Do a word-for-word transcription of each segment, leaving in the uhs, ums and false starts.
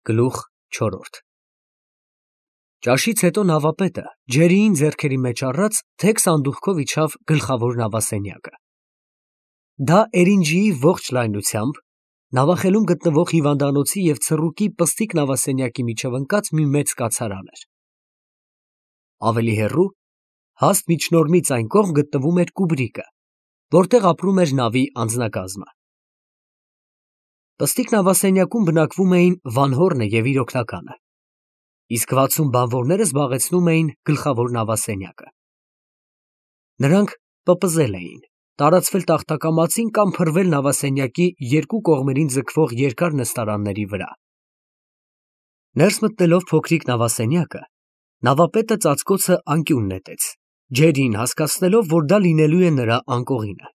Գլուխ չորրորդ Ճաշից հետո նավապետը ջերիին ձեռքերի մեջ առած թեք սանդուղքով իջավ գլխավոր նավասենյակը։ Դա Էրինջիի ողջ լայնությամբ նավախելում գտնվող հիվանդանոցի և ցռուկի պստիկ նավասենյակի միջև ընկած մի մեծ կացարան էր։ Ավելի հեռու, հաստ միջնորմից այն կողմ գտնվում էր Կուբրիկը, որտեղ ապրում էր նավի անձնակազմը։ Պստիկ նավասենյակում բնակվում էին Վանհորնը և իր օգնականը, իսկ վաթսուն բանվորները զբաղեցնում էին գլխավոր նավասենյակը։ Նրանք պպզել էին, տարածվել տախտակամածին կամ փռվել նավասենյակի երկու կողմերին ձգվող երկար նստարանների վրա։ Ներս մտնելով փոքրիկ նավասենյակը, նավապետը ծածկոցը անկյուն նետեց, ջերիին հասկացնելով, որ դա լինելու է նրա անկողինը։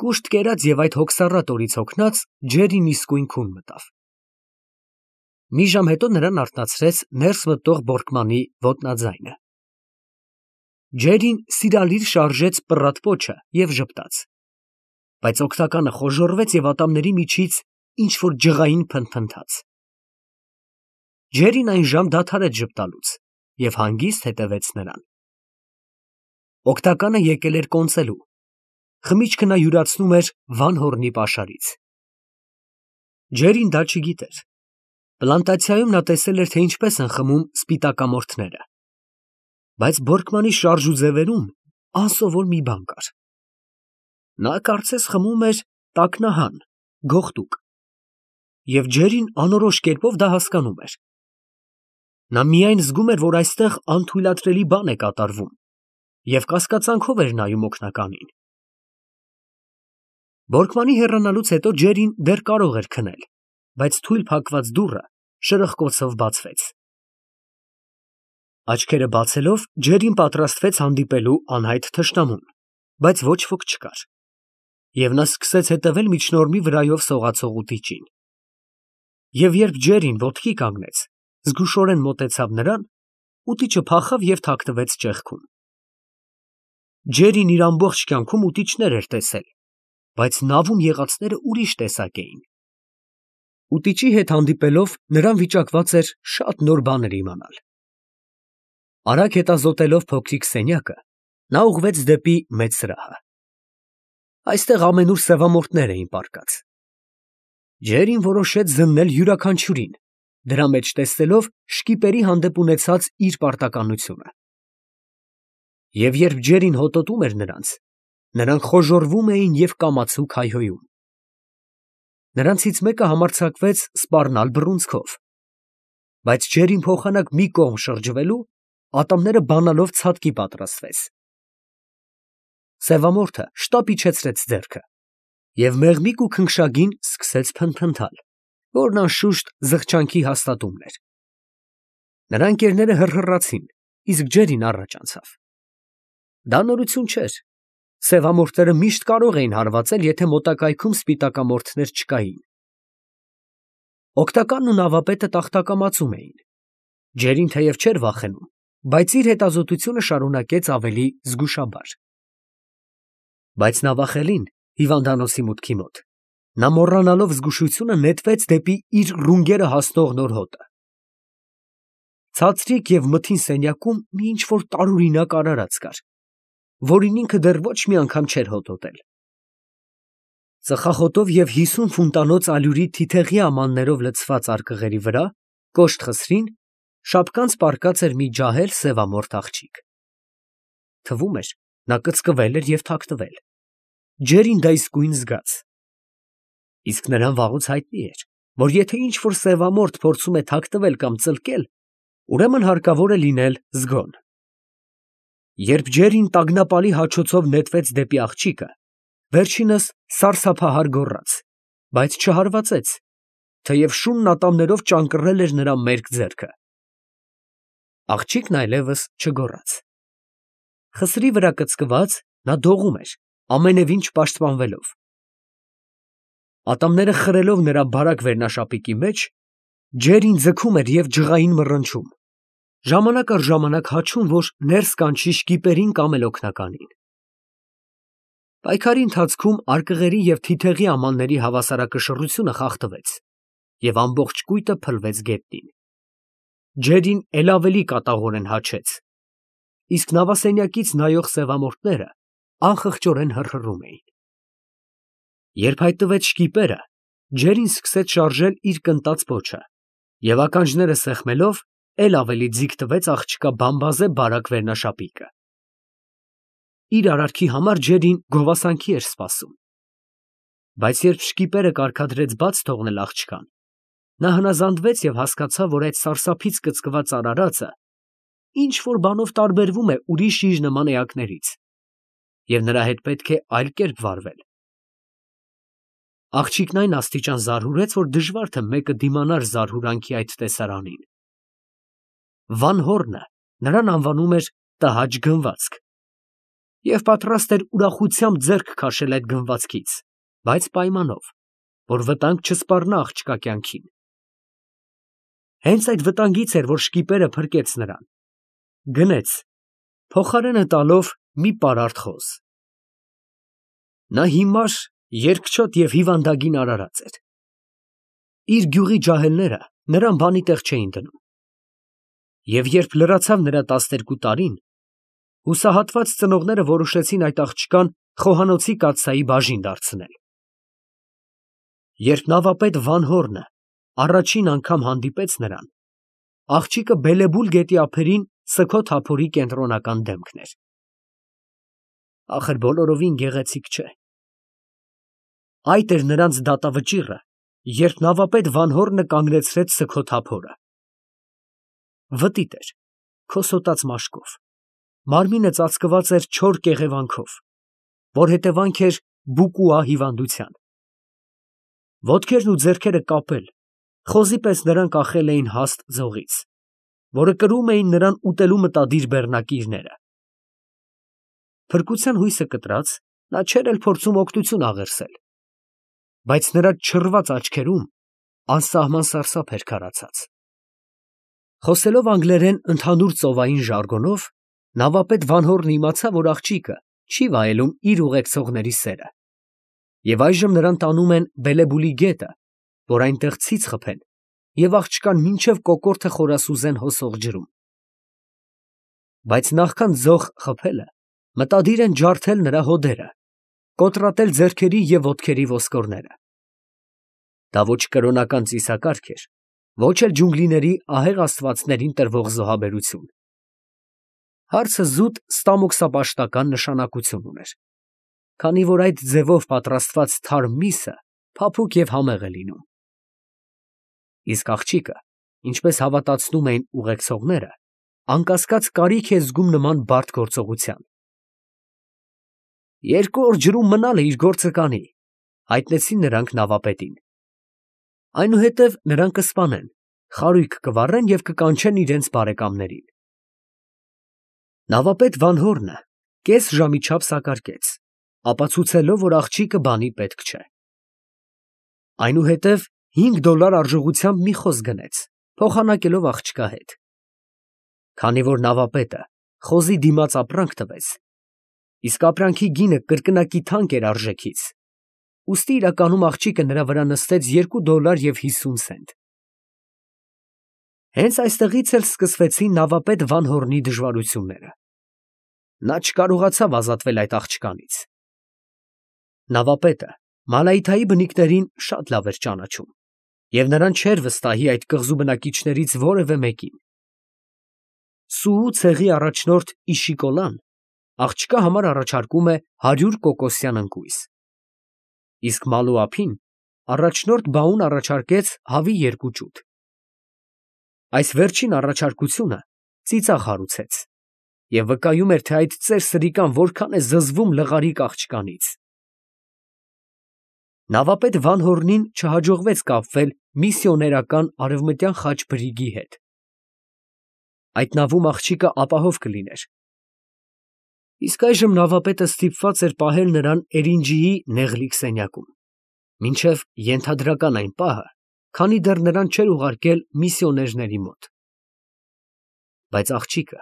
Կուշտ կերած և այդ հոգսառատ օրից հոգնած, ջերին իսկույն քուն մտավ։ Մի ժամ հետո նրան արթնացրեց ներս մտող բորկմանի ոտնաձայնը։ Ջերին սիրալիր շարժեց պռատ պոչը և ժպտաց, բայց օգնականը խոժոռվեց և ատամների միջից ինչ֊որ ջղային փնթփնթաց։ Ջերին այն ժամ դադարեց ժպտալուց և հանգիստ հետևեց նրան։ Օգնականը եկել էր կոնծելու, խմիչքը նա յուրացնում էր Վանհորնի պաշարից։ Ջերին դա չգիտեր։ Պլանտացիայում նա տեսել էր, թե ինչպես են խմում սպիտակամորթները, բայց բորկմանի շարժ ու ձևերում անսովոր մի բան կար։ Նա կարծես խմում էր տակնահան, գողտուկ, և ջերին անորոշ կերպով դա հասկանում էր։ Նա միայն զգում էր, որ այստեղ անթույլատրելի բան է կատարվում, և կասկածանքով էր նայում օգնականին։ Բորկմանի հեռանալուց հետո ջերին դեռ կարող էր քնել, բայց թույլ փակված դուռը շրխկոցով բացվեց։ Աչքերը բացելով, ջերին պատրաստվեց հանդիպելու անհայտ թշնամուն, բայց ոչ ոք չկար, և նա սկսեց հետևել միջնորմի վրայով սողացող ուտիչին։ Եվ երբ ջերին ոտքի կանգնեց, զգուշորեն մոտեցավ նրան, ուտիչը փախավ և թաքնվեց ճեղքում։ Ջերին իր ամբողջ կյանքում ուտիչներ էր տեսել, բայց նավում եղածները ուրիշ տեսակ էին։ Ուտիչի հետ հանդիպելով, նրան վիճակված էր շատ նոր բաներ իմանալ։ Արագ հետազոտելով փոքրիկ սենյակը, նա ուղղվեց դեպի մեծ սրահը։ Այստեղ ամենուր սևամորթներ էին պառկած։ Ջերին որոշեց զննել յուրաքանչյուրին, դրա մեջ տեսնելով շկիպերի հանդեպ ունեցած իր պարտականությունը։ Եվ երբ ջերին հոտոտում էր նրանց, նրանք խոժոռվում էին և կամացուկ հայհոյում։ Նրանցից մեկը համարձակվեց սպառնալ բռունցքով, բայց ջերին փոխանակ մի կողմ շրջվելու, ատամները բանալով ցատկի պատրաստվեց։ Սևամորթը շտապ իջեցրեց ձեռքը և մեղմիկ ու քնքշագին սկսեց փնթփնթալ, որն անշուշտ զղջանքի հաստատումն էր։ Նրա ընկերները հռհռացին, իսկ ջերին առաջ անցավ։ Դա նորություն չէր։ Սևամորթները միշտ կարող էին հարվածել, եթե մոտակայքում սպիտակամորթներ չկային։ Օգնականն ու նավապետը տախտակամածում էին։ Ջերին թեև չէր վախենում, բայց իր հետազոտությունը շարունակեց ավելի զգուշաբար։ Բայց նավախելին, հիվանդանոցի մուտքի մոտ, նա մոռանալով զգուշությունը նետվեց դեպի իր ռունգերը հասնող նոր հոտը։ Ցածրիկ և մթին սենյակում մի ինչ֊որ տարօրինակ արարած կար, որին ինքը դեռ ոչ մի անգամ չէր հոտոտել։ Ծխախոտով և հիսուն ֆունտանոց ալյուրի թիթեղի ամաններով լցված արկղերի վրա, կոշտ խսրին, շապկանց պառկած էր մի ջահել սևամորթ աղջիկ։ Թվում էր, նա կծկվել էր և թաքնվել։ Ջերին դա իսկույն զգաց։ Իսկ նրան վաղուց հայտնի էր, որ եթե ինչ֊որ սևամորթ փորձում է թաքնվել կամ ծլկել, ուրեմն հարկավոր է լինել զգոն։ Երբ ջերին տագնապալի հաչոցով նետվեց դեպի աղջիկը, վերջինս սարսափահար գոռաց, բայց չհարվածեց, թեև շունն ատամներով ճանկռել էր նրա մերկ ձեռքը։ Աղջիկն այլևս չգոռաց։ Խսրի վրա կծկված, նա դողում էր, ամենևին չպաշտպանվելով։ Ատամները խրելով նրա բարակ վերնաշապիկի մեջ, ջերին ձգում էր և ջղային մռնչում, ժամանակ առ ժամանակ հաչում, որ ներս կանչի շկիպերին կամ էլ օգնականին։ Պայքարի ընթացքում արկղերի և թիթեղի ամանների հավասարակշռությունը խախտվեց, և ամբողջ կույտը փլվեց գետնին։ Ջերին էլ ավելի կատաղորեն հաչեց, իսկ նավասենյակից նայող սևամորթները անխղճորեն հռհռում էին։ Երբ հայտնվեց շկիպերը, ջերին սկսեց շարժել իր կնտած պոչը և ականջները սեղմելով էլ ավելի ձիգ տվեց աղջկա բամբազե բարակ վերնաշապիկը։ Իր արարքի համար ջերին գովասանքի էր սպասում, բայց երբ շկիպերը կարգադրեց բաց թողնել աղջկան, նա հնազանդվեց և հասկացավ, որ այդ սարսափից կծկված արարածը ինչ֊որ բանով տարբերվում է ուրիշ իր նման էակներից, և նրա հետ պետք է այլ կերպ վարվել։ Աղջիկն այն աստիճան զարհուրեց, որ դժվար թե մեկը դիմանար զարհուրանքի այդ տեսարանին։ Վան Հորնը նրան անվանում էր տհաճ գնվածք և պատրաստ էր ուրախությամբ ձեռք քաշել այդ գնվածքից, բայց պայմանով, որ վտանգ չսպառնա աղջկա կյանքին։ Հենց այդ վտանգից էր, որ շկիպերը փրկեց նրան, գնեց, փոխարենը տալով մի պարարտ խոզ։ Նա հիմար, երկչոտ և հիվանդագին արարած էր։ Իր գյուղի ջահելները նրան բանի տեղ չէին դնում, և երբ լրացավ նրա տասներկու տարին, հուսահատված ծնողները որոշեցին այդ աղջկան խոհանոցի կաթսայի բաժին դարձնել։ Երբ նավապետ Վան Հորնը առաջին անգամ հանդիպեց նրան, աղջիկը Բելեբուլ գետի ափերին սգո թափորի կենտրոնական դեմքն էր։ Ախր բոլորովին գեղեցիկ չէ։ Այդ էր նրանց դատավճիռը, երբ նավապետ Վան Հորնը կանգնեցրեց սգո թափորը։ Վտիտ էր, քոսոտած մաշկով, մարմինը ծածկված էր չոր կեղևանքով, որ հետևանք էր բուկուա հիվանդության։ Ոտքերն ու ձեռքերը կապել, խոզի պես նրան կախել էին հաստ ձողից, որը կրում էին նրան ուտելու մտադիր բեռնակիրները։ Փրկության հույսը կտրած, նա չէր էլ փորձում օգնություն աղերսել, բայց նրա չռված աչքերում անսահման սարսափ էր քարացած։ Խոսելով անգլերեն ընդհանուր ծովային ժարգոնով, նավապետ Վան Հորնը իմացավ, որ աղջիկը չի վայելում իր ուղեկցողների սերը, և այժմ նրան տանում են Բելեբուլի գետը, որ այնտեղ ցից խփեն և աղջկան մինչև կոկորդը խորասուզեն հոսող ջրում։ Բայց նախքան ձող խփելը, մտադիր են ջարդել նրա հոդերը, կոտրատել ձեռքերի և ոտքերի ոսկորները։ Դա ոչ կրոնական ծիսակարգ էր, ոչ էլ ջունգլիների ահեղ աստվածներին տրվող զոհաբերություն։ Հարցը զուտ ստամոքսապաշտական նշանակություն ուներ, քանի որ այդ ձևով պատրաստված թարմ միսը փափուկ և համեղ է լինում։ Իսկ աղջիկը, ինչպես հավատացնում էին ուղեկցողները, անկասկած կարիք է զգում նման բարդ գործողության։ Երկու օր ջրում մնալը իր գործը կանի, հայտնեցին նրանք նավապետին։ Այնուհետև նրան կսպանեն, խարույկ կվառեն և կկանչեն իրենց բարեկամներին։ Նավապետ Վան Հորնը կես ժամի չափ սակարկեց, ապացուցելով, որ աղջիկը բանի պետք չէ։ Այնուհետև հինգ դոլար արժողությամբ մի խոզ գնեց, փոխանակելով աղջկա հետ։ Քանի որ նավապետը խոզի դիմաց ապրանք տվեց, իսկ ապրանքի գինը կրկնակի թանկ էր արժեքից, ուստի իրականում աղջիկը նրա վրա նստեց երկու դոլար և հիսուն սենտ։ Հենց այստեղից էլ սկսվեցին նավապետ Վան Հորնի դժվարությունները։ Նա չկարողացավ ազատվել այդ աղջկանից։ Նավապետը Մալայթայի բնիկներին շատ լավ էր ճանաչում և նրան չէր վստահի այդ կղզու բնակիչներից որևէ մեկին։ Սուու ցեղի առաջնորդ Իշիկոլան աղջկա համար առաջարկում է հարյուր կոկոսյան ընկույզ, իսկ Մալուափին առաջնորդ Բաուն առաջարկեց հավի երկու ճուտ։ Այս վերջին առաջարկությունը ծիծաղ հարուցեց և վկայում էր, թե այդ ծեր սրիկան որքան է զզվում լղարիկ աղջկանից։ Նավապետ Վան Հորնին չհաջողվեց կապվել միսիոներական Արևմտյան խաչ բրիգի հետ։ Այդ նավում աղջիկը ապահով կլիներ։ Իսկ այժմ նավապետը ստիպված էր պահել նրան Էրինջիի նեղլիկ սենյակում, մինչև ենթադրական այն պահը, քանի դեռ նրան չէր ուղարկել միսիոներների մոտ։ Բայց աղջիկը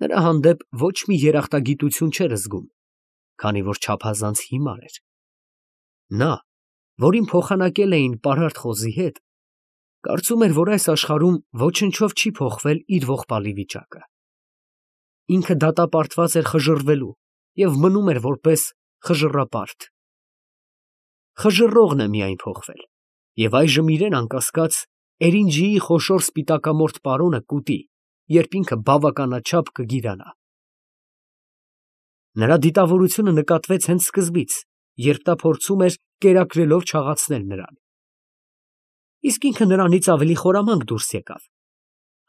նրա հանդեպ ոչ մի երախտագիտություն չէր զգում, քանի որ չափազանց հիմար էր։ Նա, որին փոխանակել էին պարարտ խոզի հետ, Կարծում էր, որ այս աշխարհում ոչնչով չի փոխվել իր ողբալի վիճակը։ Ինքը դատապարտված էր խժռվելու և մնում էր որպես խժռապարտ։ Խժռողն է միայն փոխվել, և այժմ իրեն անկասկած Էրինջիի խոշոր սպիտակամորթ պարոնը կուտի, երբ ինքը բավականաչափ կգիրանա։ Նրա դիտավորությունը նկատվեց հենց սկզբից, երբ նա փորձում էր կերակրելով չաղացնել նրան։ Իսկ ինքը նրանից ավելի խորամանկ դուրս եկավ,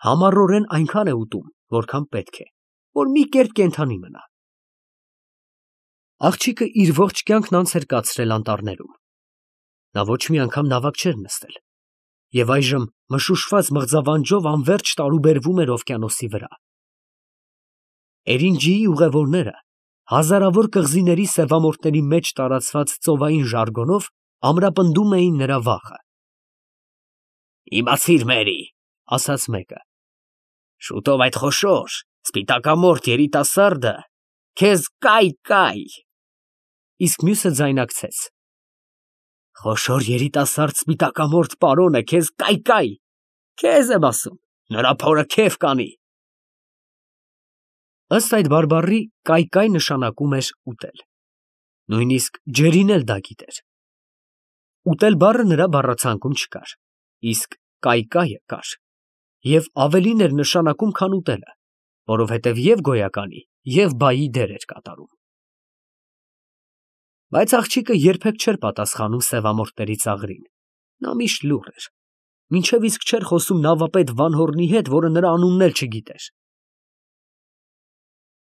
համառորեն այնքան է ուտում, որքան պետք է, որ մի կերպ կենդանի մնա։ Աղջիկը իր ողջ կյանքն անց էր կացրել անտառներում։ Նա ոչ մի անգամ նավակ չէր նստել, և այժմ մշուշված մղձավանջով անվերջ տարուբերվում էր օվկիանոսի վրա։ Էրինջիի ուղևորները հազարավոր կղզիների սևամորթների մեջ տարածված ծովային ժարգոնով ամրապնդում էին նրա վախը։ «Իմացիր, Մերի, ֊ ասաց մեկը, ֊ շուտով այդ խոշոր սպիտակամորթ երիտասարդը քեզ կայ֊կայ»։ Իսկ մյուսը ձայնարկեց. «Խոշոր երիտասարդ սպիտակամորթ պարոնը քեզ կայ֊կայ, քեզ եմ ասում, նրա փորը քեֆ կանի»։ Ըստ այդ բարբառի կայ֊կայ նշանակում էր ուտել։ Նույնիսկ ջերին էլ դա գիտեր։ Ուտել բառը նրա բառացանկում չկար, իսկ կայ֊կայը կար, և ավելին էր նշանակում, քան ուտելը, որովհետև և գոյականի, և բայի դեր էր կատարում։ Բայց աղջիկը երբեք չէր պատասխանում սևամորթների ծաղրին, նա միշտ լուռ էր, մինչև իսկ չէր խոսում նավապետ Վանհոռնի հետ, որը նրա անունն էլ չգիտեր։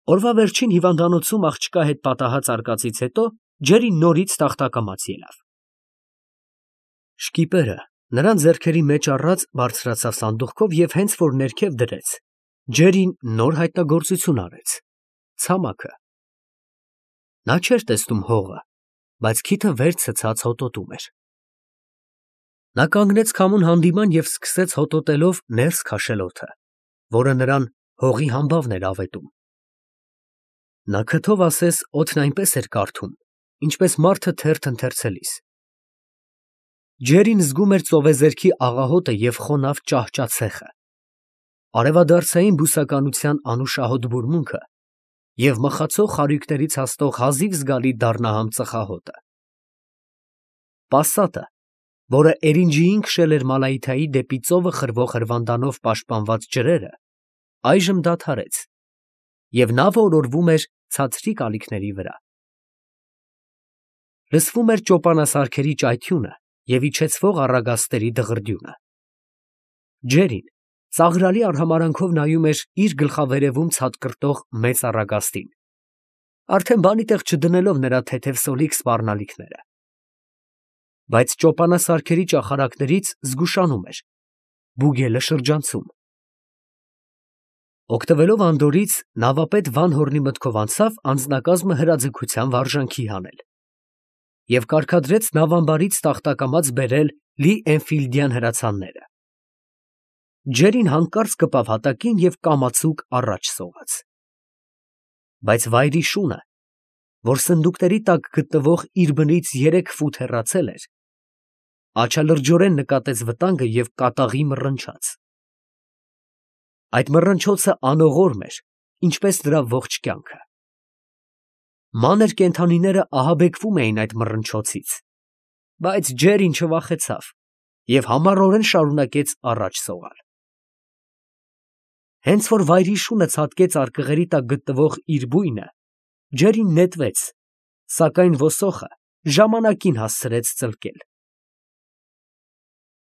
Օրվա վերջին հիվանդանոցում աղջկա հետ պատահած արկածից հետո ջերին նորից տախտակամաց ելավ։ Շկիպերը նրան ձեռքերի մեջ առած բարձրացավ սանդուղքով և հենց որ ներքև դրեց, ջերին նոր հայտնագործություն արեց՝ ցամաքը։ Նա չէր տեսնում հողը, բայց քիթը վեր ցցած հոտոտում էր։ Նա կանգնեց քամուն հանդիման և սկսեց հոտոտելով ներս քաշել օդը, որը նրան հողի համբավն էր ավետում։ Նա քթով ասես օդն այնպես էր կարդում, ինչպես մարդը թերթ ընթերցելիս։ Ջերին զգում էր ծովեզերքի աղահոտը և խոնավ ճահճացեխը, արևադարձային բուսականության անուշահոտ բուրմունքը և մխացող խարույկներից հասնող հազիվ զգալի դառնահամ ծխահոտը։ Պասատը, որը Էրինջիին քշել էր Մալայիթայի դեպի ծովը խրվող հրվանդանով պաշտպանված ջրերը, այժմ դադարեց, և նավը օրորվում էր ցածրիկ ալիքների վրա։ Լսվում էր ճոպանասարքերի ճայթյունը և իջեցվող առագաստերի դղրդյունը։ Ջերին ծաղրալի արհամարանքով նայում էր իր գլխավերևում ցատկռտող մեծ առագաստին, արդեն բանի տեղ չդնելով նրա թեթև սոլիկ սպառնալիքները։ Բայց ճոպանասարքերի ճախարակներից զգուշանում էր, բուգելը շրջանցում։ Օգտվելով անդորրից, նավապետ Վանհոռնի մտքով անցավ անձնակազմը հրաձգության վարժանքի հանել և կարգադրեց նավամբարից տախտակամաց բերել լի Էնֆիլդյան հրացանները։ Ջերին հանկարծ կպավ հատակին և կամացուկ առաջ սողաց։ Բայց վայրի շունը, որ սնդուկների տակ գտնվող իր բնից երեք ֆուտ հեռացել էր, աչալրջորեն նկատեց վտանգը և կատաղի մռնչաց։ Այդ մռնչոցը անողորմ էր, ինչպես նրա ողջ կյանքը։ Մանր կենդանիները ահաբեկվում էին այդ մռնչոցից, բայց ջերին չվախեցավ և համառորեն շարունակեց առաջ սողալ։ Հենց որ վայրի շունը ցատկեց արկղերի տակ գտնվող իր բույնը, ջերին նետվեց, սակայն ոսոխը ժամանակին հասցրեց ծլկել։